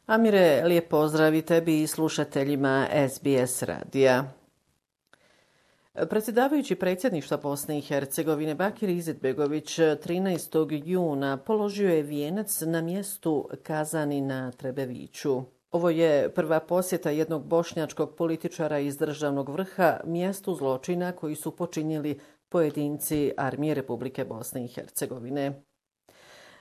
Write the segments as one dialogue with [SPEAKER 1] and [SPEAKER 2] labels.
[SPEAKER 1] Amire, lijep pozdrav i tebi i slušateljima SBS radija. Predsjedavajući predsjedništva Bosne i Hercegovine Bakir Izetbegović 13. juna položio je vijenac na mjestu Kazani na Trebeviću. Ovo je prva posjeta jednog bošnjačkog političara iz državnog vrha mjestu zločina koji su počinili pojedinci Armije Republike Bosne i Hercegovine.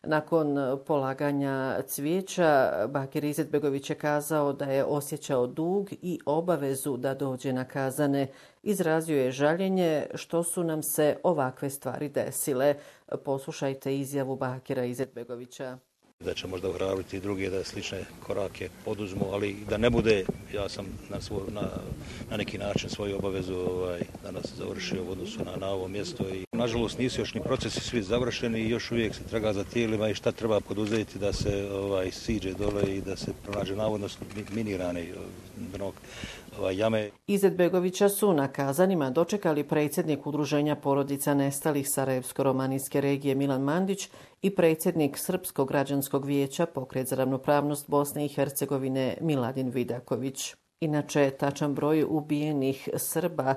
[SPEAKER 1] Nakon polaganja cvijeća, Bakir Izetbegović je kazao da je osjećao dug i obavezu da dođe na Kazane. Izrazio je žaljenje što su nam se ovakve stvari desile. Poslušajte izjavu Bakira Izetbegovića.
[SPEAKER 2] Da će možda ohrabriti i druge da slične korake poduzmu, ali da ne bude, ja sam na neki način svoju obavezu danas završio u odnosu na ovo mjesto i nažalost nisu još ni procesi svi završeni i još uvijek se traga za tijelima i šta treba poduzeti da se siđe dole i da se pronađe navodno minirane jame.
[SPEAKER 1] Izetbegovića su na Kazanima dočekali predsjednik Udruženja porodica nestalih Sarajevsko-romanijske regije Milan Mandić i predsjednik Srpskog građanskog vijeća Pokret za ravnopravnost Bosne i Hercegovine Miladin Vidaković. Inače, tačan broj ubijenih Srba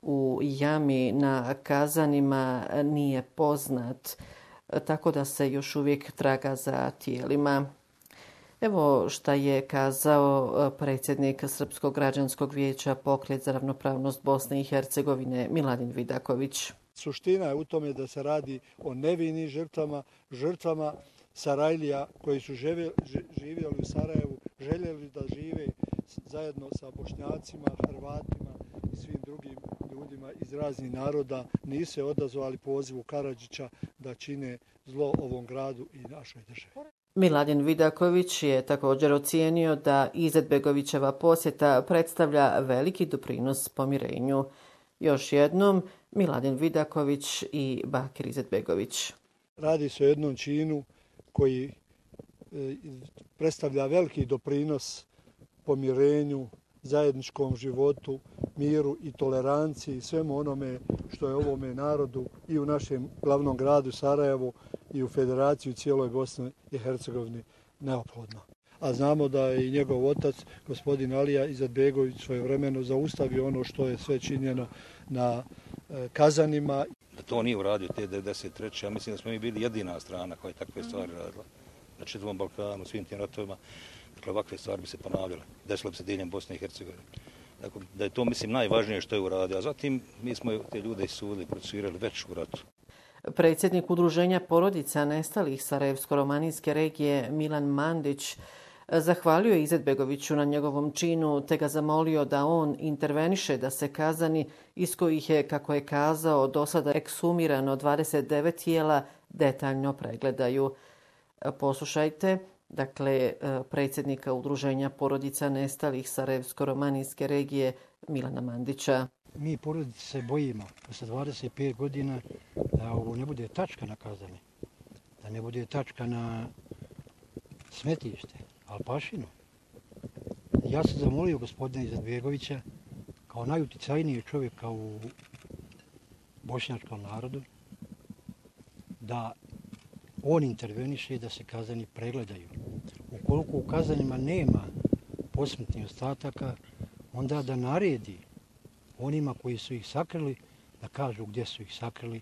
[SPEAKER 1] u jami na Kazanima nije poznat, tako da se još uvijek traga za tijelima. Evo šta je kazao predsjednik Srpskog građanskog vijeća Pokret za ravnopravnost Bosne i Hercegovine Miladin Vidaković.
[SPEAKER 3] Suština je u tome da se radi o nevinim žrtvama Sarajlija koji su živjeli u Sarajevu, željeli da žive zajedno sa Bošnjacima, Hrvatima i svim drugim ljudima iz raznih naroda, nisu se odazvali pozivu Karadžića da čine zlo ovom gradu i našoj državi.
[SPEAKER 1] Miladin Vidaković je također ocijenio da Izetbegovićeva posjeta predstavlja veliki doprinos pomirenju. Još jednom, Miladin Vidaković i Bakir Izetbegović.
[SPEAKER 3] Radi se o jednom činu koji predstavlja veliki doprinos pomirenju, zajedničkom životu, miru i toleranciji i svemu onome što je ovome narodu i u našem glavnom gradu Sarajevu i u Federaciji cijeloj Bosne i Hercegovini neophodno. A znamo da je i njegov otac, gospodin Alija Izetbegović, svojevremeno zaustavio ono što je sve činjeno na Kazanima.
[SPEAKER 2] Da to nije uradio te 1993. Ja mislim da smo mi bili jedina strana koja je takve stvari radila. Na čitavom Balkanu, svim tim ratovima. Dakle, ovakve stvari bi se ponavljale. Desilo bi se diljem Bosne i Hercegovine. Dakle, da je to, mislim, najvažnije što je uradio. A zatim mi smo te ljude isudili, procesuirali već u ratu.
[SPEAKER 1] Predsjednik Udruženja porodica nestalih Sarajevsko-romanijske regije Milan Mandić zahvalio je Izetbegoviću na njegovom činu te ga zamolio da on interveniše da se Kazani iz kojih je, kako je kazao, do sada ekshumirano 29 tijela detaljno pregledaju. Poslušajte, dakle, predsjednika Udruženja porodica nestalih Sarajevsko-romanijske regije Milana Mandića.
[SPEAKER 4] Mi porodice se bojimo posle 25 godina da ovo ne bude tačka na Kazani, da ne bude tačka na smetište, Alpašinu. Ja sam zamolio gospodina Izetbegovića kao najuticajniji čovjeka u bošnjačkom narodu da on interveniše i da se Kazani pregledaju. Ukoliko u Kazanima nema posmrtnih ostataka, onda da naredi onima koji su ih sakrili da kažu gdje su ih sakrili.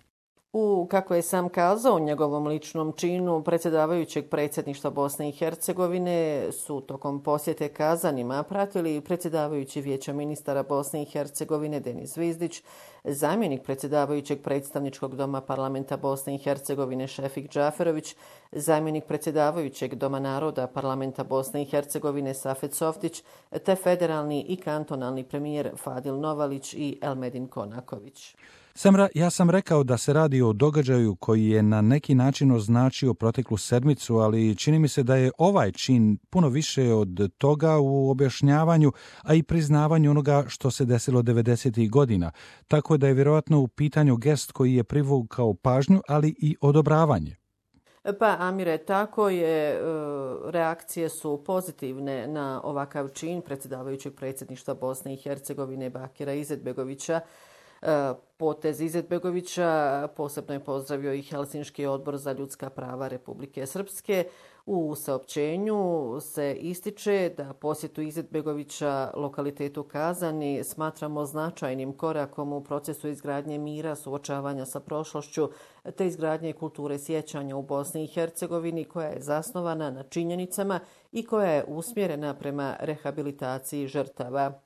[SPEAKER 1] Kako je sam kazao u njegovom ličnom činu, predsjedavajućeg predsjedništva Bosne i Hercegovine su tokom posjete Kazanima pratili predsjedavajući Vijeća ministara Bosne i Hercegovine Denis Zvizdić, zamjenik predsjedavajućeg predstavničkog doma parlamenta Bosne i Hercegovine Šefik Džaferović, zamjenik predsjedavajućeg doma naroda parlamenta Bosne i Hercegovine Safet Softić, te federalni i kantonalni premijer Fadil Novalić i Elmedin Konaković.
[SPEAKER 5] Ja sam rekao da se radi o događaju koji je na neki način označio proteklu sedmicu, ali čini mi se da je ovaj čin puno više od toga u objašnjavanju, a i priznavanju onoga što se desilo 90. godina. Tako da je vjerojatno u pitanju gest koji je privukao pažnju, ali i odobravanje.
[SPEAKER 1] Pa, Amire, tako je. Reakcije su pozitivne na ovakav čin predsjedavajućeg predsjedništva Bosne i Hercegovine Bakira Izetbegovića. Potez Izetbegovića posebno je pozdravio i Helsinški odbor za ljudska prava Republike Srpske. U saopćenju se ističe da posjetu Izetbegovića lokalitetu Kazani smatramo značajnim korakom u procesu izgradnje mira, suočavanja sa prošlošću te izgradnje kulture sjećanja u Bosni i Hercegovini koja je zasnovana na činjenicama i koja je usmjerena prema rehabilitaciji žrtava.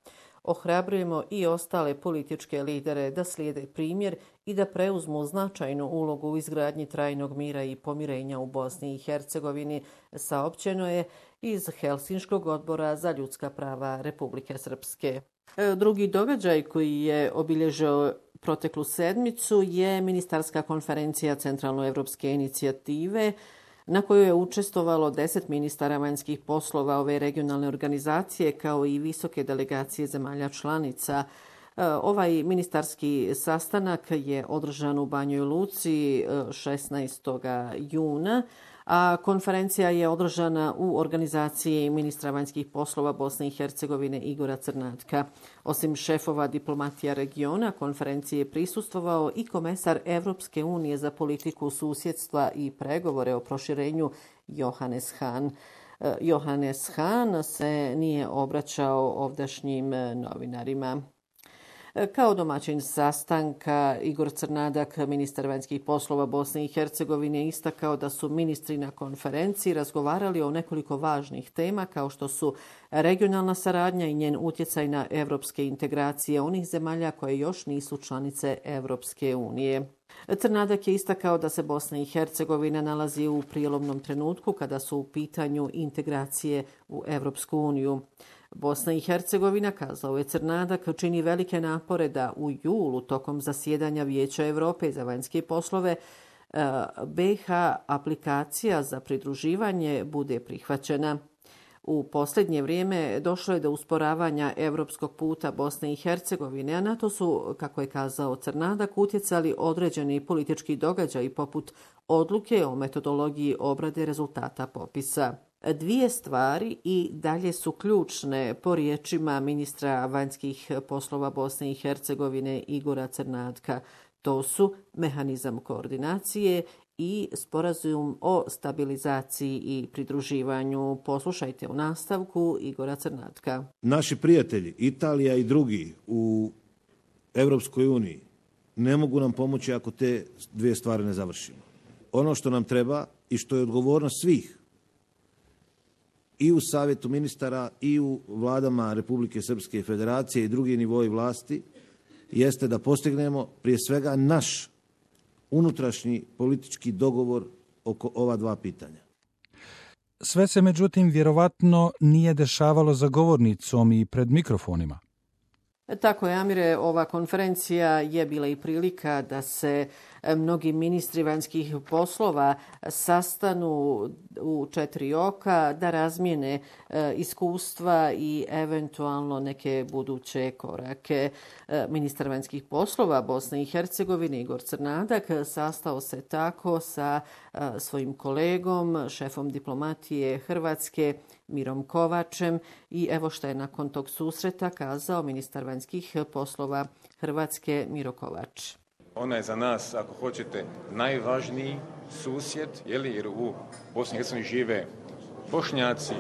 [SPEAKER 1] Ohrabrujemo i ostale političke lidere da slijede primjer i da preuzmu značajnu ulogu u izgradnji trajnog mira i pomirenja u Bosni i Hercegovini, saopćeno je iz Helsinškog odbora za ljudska prava Republike Srpske. Drugi događaj koji je obilježio proteklu sedmicu je ministarska konferencija Centralnoevropske inicijative na kojoj je učestvovalo 10 ministara vanjskih poslova ove regionalne organizacije kao i visoke delegacije zemalja članica. Ovaj ministarski sastanak je održan u Banjoj Luci 16. juna, a konferencija je održana u organizaciji ministra vanjskih poslova Bosne i Hercegovine Igora Crnatka. Osim šefova diplomatija regiona, konferenciji je prisustvovao i komesar Evropske unije za politiku susjedstva i pregovore o proširenju Johannes Hahn. Johannes Hahn se nije obraćao ovdašnjim novinarima. Kao domaćin sastanka, Igor Crnadak, ministar vanjskih poslova Bosne i Hercegovine, istakao da su ministri na konferenciji razgovarali o nekoliko važnih tema kao što su regionalna saradnja i njen utjecaj na evropske integracije onih zemalja koje još nisu članice Evropske unije. Crnadak je istakao da se Bosna i Hercegovina nalazi u prijelomnom trenutku kada su u pitanju integracije u Evropsku uniju. Bosna i Hercegovina, kazao je Crnadak, čini velike napore da u julu tokom zasjedanja Vijeća Europe za vanjske poslove BiH aplikacija za pridruživanje bude prihvaćena. U posljednje vrijeme došlo je do usporavanja evropskog puta Bosne i Hercegovine, a na to su, kako je kazao Crnadak, utjecali određeni politički događaji poput odluke o metodologiji obrade rezultata popisa. Dvije stvari i dalje su ključne po riječima ministra vanjskih poslova Bosne i Hercegovine Igora Crnatka. To su mehanizam koordinacije i sporazum o stabilizaciji i pridruživanju. Poslušajte u nastavku Igora Crnatka.
[SPEAKER 6] Naši prijatelji, Italija i drugi u Evropskoj uniji ne mogu nam pomoći ako te dvije stvari ne završimo. Ono što nam treba i što je odgovornost svih i u Savjetu ministara i u vladama Republike Srpske i Federacije i drugi nivoji vlasti jeste da postignemo prije svega naš unutrašnji politički dogovor oko ova dva pitanja.
[SPEAKER 5] Sve se međutim vjerovatno nije dešavalo za govornicom i pred mikrofonima.
[SPEAKER 1] Tako je, Amire, ova konferencija je bila i prilika da se mnogi ministri vanjskih poslova sastanu u četiri oka, da razmijene iskustva i eventualno neke buduće korake. Ministar vanjskih poslova Bosne i Hercegovine Igor Crnadak sastao se tako sa svojim kolegom, šefom diplomatije Hrvatske Mirom Kovačem i evo što je nakon tog susreta kazao ministar vanjskih poslova Hrvatske Miro Kovač.
[SPEAKER 7] Ona je za nas, ako hoćete, najvažniji susjed, jer u Bosni i Hercegovini žive Bošnjaci,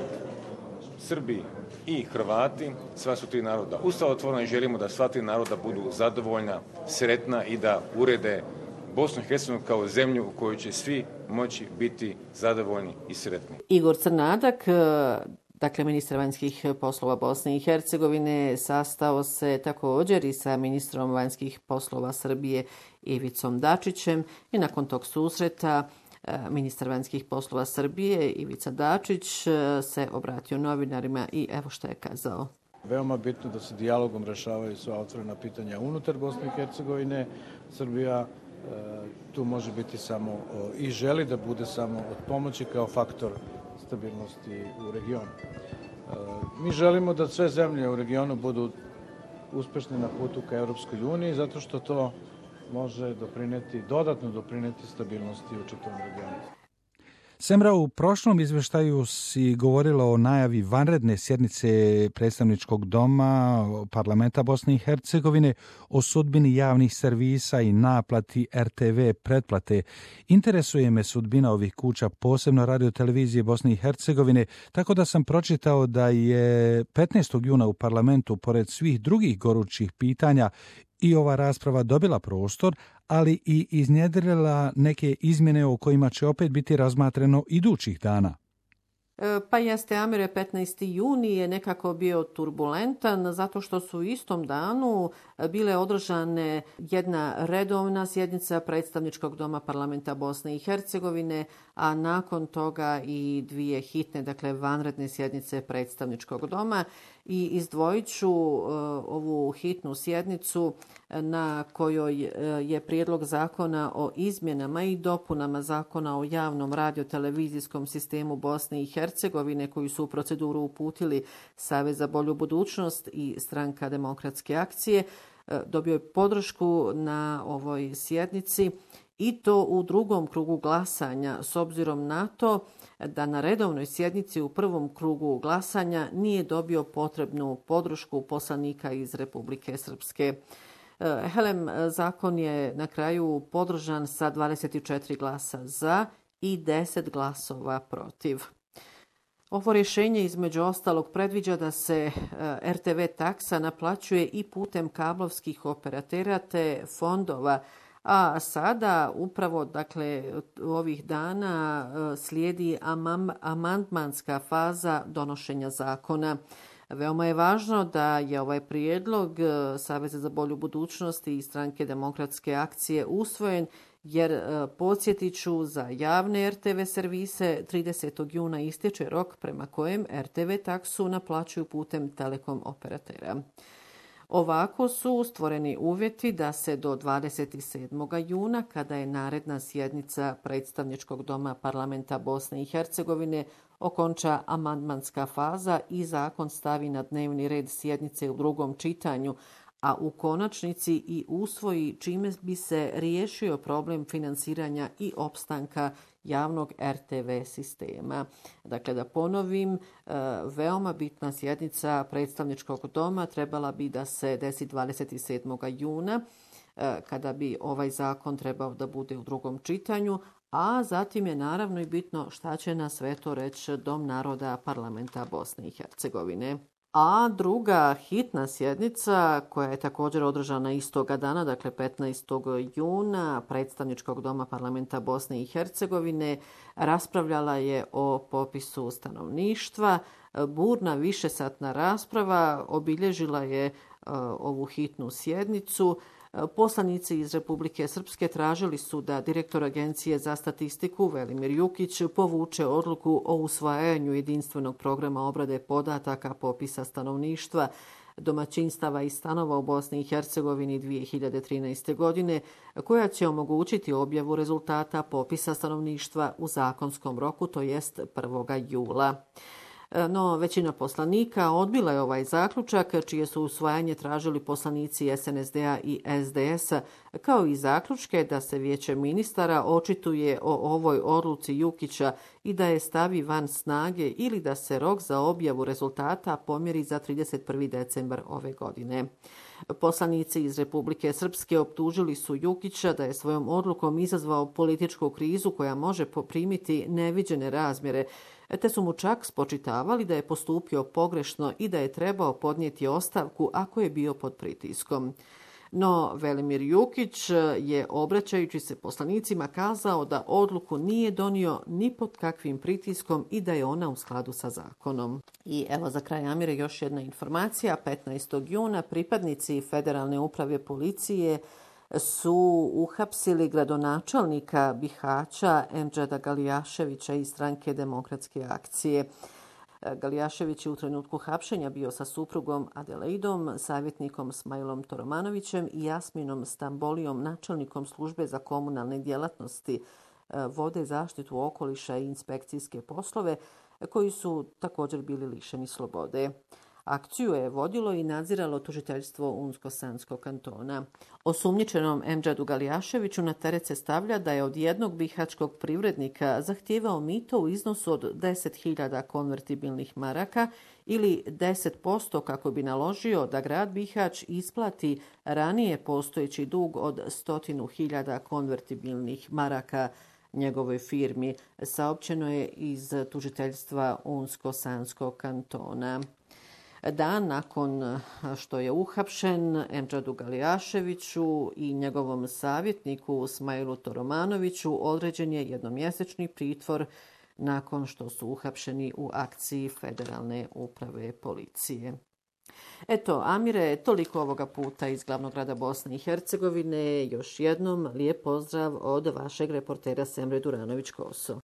[SPEAKER 7] Srbi i Hrvati, sva su tri naroda ustavotvorna i želimo da sva tri naroda budu zadovoljna, sretna i da urede Bosnu i Hercegovinu kao zemlju u kojoj će svi moći biti zadovoljni i sretni.
[SPEAKER 1] Igor Crnadak, dakle ministar vanjskih poslova Bosne i Hercegovine, sastao se također i sa ministrom vanjskih poslova Srbije Ivicom Dačićem i nakon tog susreta ministar vanjskih poslova Srbije Ivica Dačić se obratio novinarima i evo što je kazao.
[SPEAKER 8] Veoma bitno da se dijalogom rešavaju sva otvorena pitanja unutar Bosne i Hercegovine. Srbija tu može biti samo i želi da bude samo od pomoći kao faktor stabilnosti u regionu. Mi želimo da sve zemlje u regionu budu uspešne na putu ka Evropskoj uniji zato što to može dodatno doprineti stabilnosti u čitavom regionu.
[SPEAKER 5] Semra, u prošlom izveštaju si govorila o najavi vanredne sjednice predstavničkog doma parlamenta Bosne i Hercegovine o sudbini javnih servisa i naplati RTV pretplate. Interesuje me sudbina ovih kuća, posebno radiotelevizije Bosne i Hercegovine, tako da sam pročitao da je 15. juna u parlamentu, pored svih drugih gorućih pitanja, i ova rasprava dobila prostor, ali i iznjedrila neke izmjene o kojima će opet biti razmatreno idućih dana.
[SPEAKER 1] Pa jeste, Amire, 15. juni je nekako bio turbulentan zato što su u istom danu bile održane jedna redovna sjednica predstavničkog doma parlamenta Bosne i Hercegovine, a nakon toga i dvije hitne, dakle vanredne sjednice predstavničkog doma. I izdvojit ću ovu hitnu sjednicu na kojoj je prijedlog zakona o izmjenama i dopunama zakona o javnom radiotelevizijskom sistemu Bosne i Hercegovine koju su u proceduru uputili Savez za bolju budućnost i Stranka demokratske akcije. Dobio je podršku na ovoj sjednici i to u drugom krugu glasanja, s obzirom na to da na redovnoj sjednici u prvom krugu glasanja nije dobio potrebnu podršku poslanika iz Republike Srpske. Helem, zakon je na kraju podržan sa 24 glasa za i 10 glasova protiv. Ovo rješenje između ostalog predviđa da se RTV taksa naplaćuje i putem kablovskih operatera te fondova, a sada upravo dakle ovih dana slijedi amandmanska faza donošenja zakona. Veoma je važno da je ovaj prijedlog Saveza za bolju budućnost i Stranke demokratske akcije usvojen, jer podsjetit ću, za javne RTV servise 30. juna istječe rok prema kojem RTV taksu naplaćuju putem telekom operatera. Ovako su stvoreni uvjeti da se do 27. juna, kada je naredna sjednica predstavničkog doma parlamenta Bosne i Hercegovine, okonča amandmanska faza i zakon stavi na dnevni red sjednice u drugom čitanju, a u konačnici i usvoji, čime bi se riješio problem financiranja i opstanka javnog RTV sistema. Dakle, da ponovim, veoma bitna sjednica predstavničkog doma trebala bi da se desi 27. juna, kada bi ovaj zakon trebao da bude u drugom čitanju, a zatim je naravno i bitno šta će na sve to reći Dom naroda parlamenta Bosne i Hercegovine. A druga hitna sjednica, koja je također održana istoga dana, dakle 15. juna, predstavničkog doma parlamenta Bosne i Hercegovine, raspravljala je o popisu stanovništva. Burna višesatna rasprava obilježila je ovu hitnu sjednicu. Poslanici iz Republike Srpske tražili su da direktor Agencije za statistiku Velimir Jukić povuče odluku o usvajanju jedinstvenog programa obrade podataka popisa stanovništva, domaćinstava i stanova u Bosni i Hercegovini 2013. godine, koja će omogućiti objavu rezultata popisa stanovništva u zakonskom roku, to jest 1. jula. No, većina poslanika odbila je ovaj zaključak, čije su usvajanje tražili poslanici SNSD-a i SDS-a, kao i zaključke da se Vijeće ministara očituje o ovoj odluci Jukića i da je stavi van snage ili da se rok za objavu rezultata pomjeri za 31. decembar ove godine. Poslanici iz Republike Srpske optužili su Jukića da je svojom odlukom izazvao političku krizu koja može poprimiti neviđene razmjere, te su mu čak spočitavali da je postupio pogrešno i da je trebao podnijeti ostavku ako je bio pod pritiskom. No, Velimir Jukić je, obraćajući se poslanicima, kazao da odluku nije donio ni pod kakvim pritiskom i da je ona u skladu sa zakonom. I evo za kraj, Amire, još jedna informacija. 15. juna pripadnici Federalne uprave policije su uhapsili gradonačelnika Bihaća Emdžeda Galijaševića iz Stranke demokratske akcije. Galijašević je u trenutku hapšenja bio sa suprugom Adelaidom, savjetnikom Smajlom Toromanovićem i Jasminom Stambolijom, načelnikom službe za komunalne djelatnosti, vode, zaštitu okoliša i inspekcijske poslove, koji su također bili lišeni slobode. Akciju je vodilo i nadziralo tužiteljstvo Unsko-Sanskog kantona. Osumnjičenom Emdžadu Galijaševiću na teret se stavlja da je od jednog bihaćkog privrednika zahtijevao mito u iznosu od 10.000 konvertibilnih maraka ili 10% kako bi naložio da grad Bihać isplati ranije postojeći dug od 100.000 konvertibilnih maraka njegovoj firmi, saopćeno je iz tužiteljstva Unsko-Sanskog kantona. Dan nakon što je uhapšen, Emdžadu Galijaševiću i njegovom savjetniku Smailu Toromanoviću određen je jednomjesečni pritvor nakon što su uhapšeni u akciji Federalne uprave policije. Eto, Amire, toliko ovoga puta iz glavnog grada Bosne i Hercegovine. Još jednom lijep pozdrav od vašeg reportera Semre Duranović-Koso.